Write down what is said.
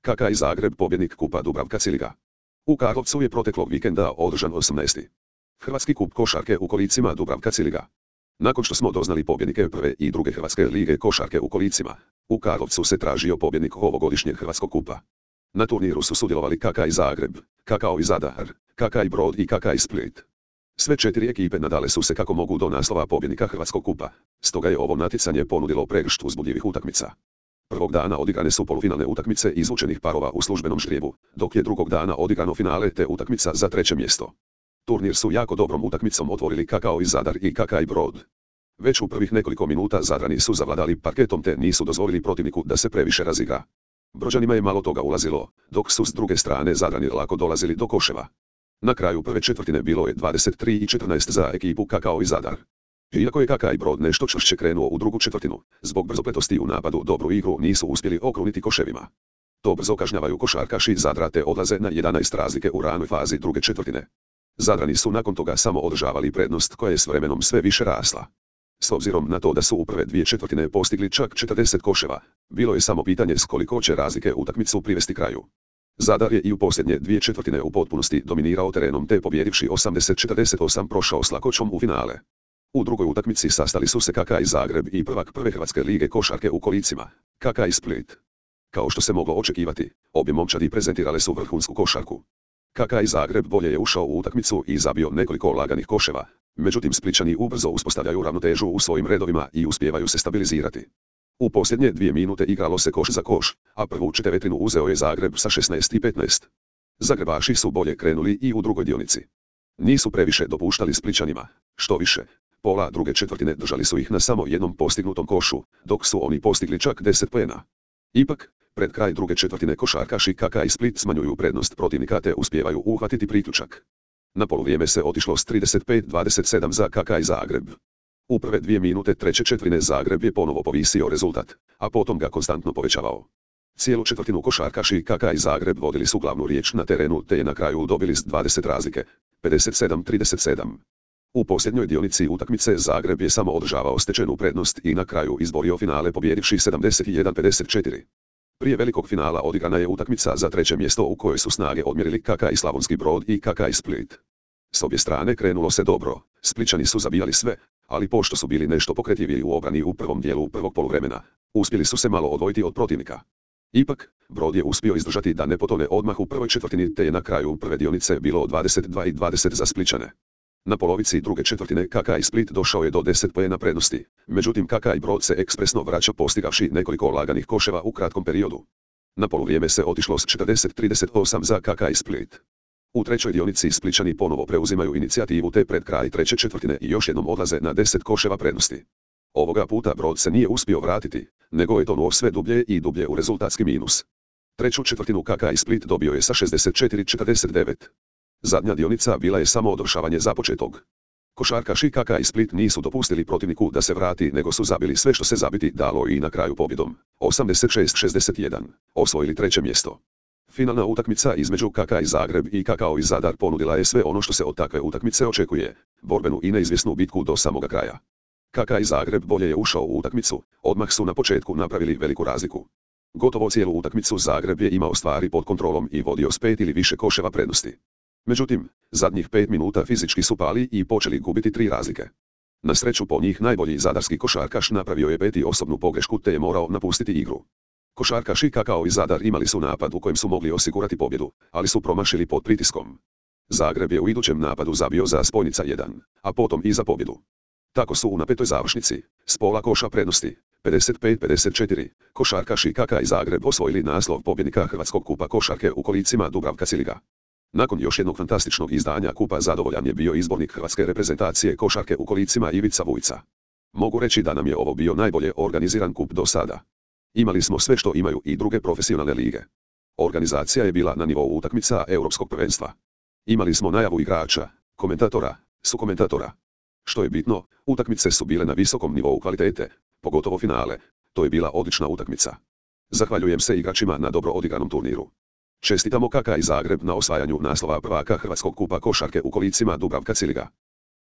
KK Zagreb pobjednik kupa Dubravka Ciliga. U Karlovcu je proteklog vikenda održan 18. Hrvatski kup košarke u kolicima Dubravka Ciliga. Nakon što smo doznali pobjednike prve i druge Hrvatske lige košarke u kolicima, u Karlovcu se tražio pobjednik ovogodišnjeg Hrvatskog kupa. Na turniru su sudjelovali KK Zagreb, KK Zadar, KK Brod i KK Split. Sve 4 ekipe nadale su se kako mogu do naslova pobjednika Hrvatskog kupa, stoga je ovo natjecanje ponudilo pregršt uzbudljivih utakmica. Prvog dana odigrane su polufinalne utakmice izvučenih parova u službenom ždrijebu, dok je drugog dana odigrano finale te utakmica za 3. mjesto. Turnir su jako dobrom utakmicom otvorili KK Zadar i KK Brod. Već u prvih nekoliko minuta Zadrani su zavladali parketom te nisu dozvolili protivniku da se previše razigra. Brođanima je malo toga ulazilo, dok su s druge strane Zadrani lako dolazili do koševa. Na kraju prve četvrtine bilo je 23:14 za ekipu KK Zadar. Iako je KK Brod nešto čvršće krenuo u drugu četvrtinu, zbog brzopletosti u napadu dobru igru nisu uspjeli okruniti koševima. To brzo kažnjavaju košarkaši Zadra te odlaze na 11 razlike u ranoj fazi druge četvrtine. Zadrani su nakon toga samo održavali prednost koja je s vremenom sve više rasla. S obzirom na to da su u prve 2 četvrtine postigli čak 40 koševa, bilo je samo pitanje s koliko će razlike utakmicu privesti kraju. Zadar je i u posljednje 2 četvrtine u potpunosti dominirao terenom te pobjedivši 80-48 prošao s lakoćom u finale. U drugoj utakmici sastali su se KK Zagreb i prvak prve Hrvatske lige košarke u kolicima, KK Split. Kao što se moglo očekivati, obje momčadi prezentirale su vrhunsku košarku. KK Zagreb bolje je ušao u utakmicu i zabio nekoliko laganih koševa, međutim Splićani ubrzo uspostavljaju ravnotežu u svojim redovima i uspijevaju se stabilizirati. U posljednje 2 minute igralo se koš za koš, a prvu četvrtinu uzeo je Zagreb sa 16:15. Zagrebaši su bolje krenuli i u drugoj dionici. Nisu previše dopuštali Splićanima, što više, pola druge četvrtine držali su ih na samo jednom postignutom košu, dok su oni postigli čak 10 poena. Ipak, pred kraj druge četvrtine košarkaši KK Split smanjuju prednost protivnika te uspijevaju uhvatiti priključak. Na poluvrijeme se otišlo s 35:27 za KK Zagreb. U prve 2 minute treće četvrtine Zagreb je ponovo povisio rezultat, a potom ga konstantno povećavao. Cijelu četvrtinu košarkaši KK Zagreb vodili su glavnu riječ na terenu te je na kraju dobili s 20 razlike, 57:37. U posljednjoj dionici utakmice Zagreb je samo održavao stečenu prednost i na kraju izborio finale pobjedivši 71:54. Prije velikog finala odigrana je utakmica za 3. mjesto u kojoj su snage odmjerili KK Slavonski Brod i KK Split. S obje strane krenulo se dobro, Splićani su zabijali sve, ali pošto su bili nešto pokretljiviji u obrani u prvom dijelu prvog poluvremena, uspjeli su se malo odvojiti od protivnika. Ipak, Brod je uspio izdržati da ne potone odmah u prvoj četvrtini te je na kraju prve dionice bilo 22:20 za Splićane. Na polovici druge četvrtine KK Split došao je do 10 poena prednosti, međutim KK Brod se ekspresno vraća postigavši nekoliko laganih koševa u kratkom periodu. Na poluvrijeme se otišlo s 40:38 za KK Split. U trećoj dionici Splićani ponovo preuzimaju inicijativu te pred kraj treće četvrtine i još jednom odlaze na 10 koševa prednosti. Ovoga puta Brod se nije uspio vratiti, nego je tonuo sve dublje i dublje u rezultatski minus. Treću četvrtinu KK Split dobio je sa 64:49. Zadnja dionica bila je samo odršavanje započetog. Košarkaši KK Split nisu dopustili protivniku da se vrati nego su zabili sve što se zabiti dalo i na kraju pobjedom, 86:61, osvojili 3. mjesto. Finalna utakmica između KK Zagreb i KK Zadar ponudila je sve ono što se od takve utakmice očekuje, borbenu i neizvjesnu bitku do samoga kraja. KK Zagreb bolje je ušao u utakmicu, odmah su na početku napravili veliku razliku. Gotovo cijelu utakmicu Zagreb je imao stvari pod kontrolom i vodio s 5 ili više koševa prednosti. Međutim, zadnjih 5 minuta fizički su pali i počeli gubiti 3 razlike. Na sreću po njih najbolji zadarski košarkaš napravio je 5. osobnu pogrešku te je morao napustiti igru. Košarkaši KK Zadar imali su napad u kojem su mogli osigurati pobjedu, ali su promašili pod pritiskom. Zagreb je u idućem napadu zabio za spojnica 1, a potom i za pobjedu. Tako su u napetoj završnici, s pola koša prednosti, 55:54, košarkaši KK Zagreb osvojili naslov pobjednika Hrvatskog kupa košarke u kolicima Dubravka Ciliga. Nakon još jednog fantastičnog izdanja kupa zadovoljan je bio izbornik hrvatske reprezentacije košarke u kolicima Ivica Vujca. Mogu reći da nam je ovo bio najbolje organiziran kup do sada. Imali smo sve što imaju i druge profesionalne lige. Organizacija je bila na nivou utakmica Europskog prvenstva. Imali smo najavu igrača, komentatora, sukomentatora. Što je bitno, utakmice su bile na visokom nivou kvalitete, pogotovo finale, to je bila odlična utakmica. Zahvaljujem se igračima na dobro odigranom turniru. Čestitamo KK Zagreb na osvajanju naslova prvaka Hrvatskog kupa košarke u kolicima Dubravka Ciliga.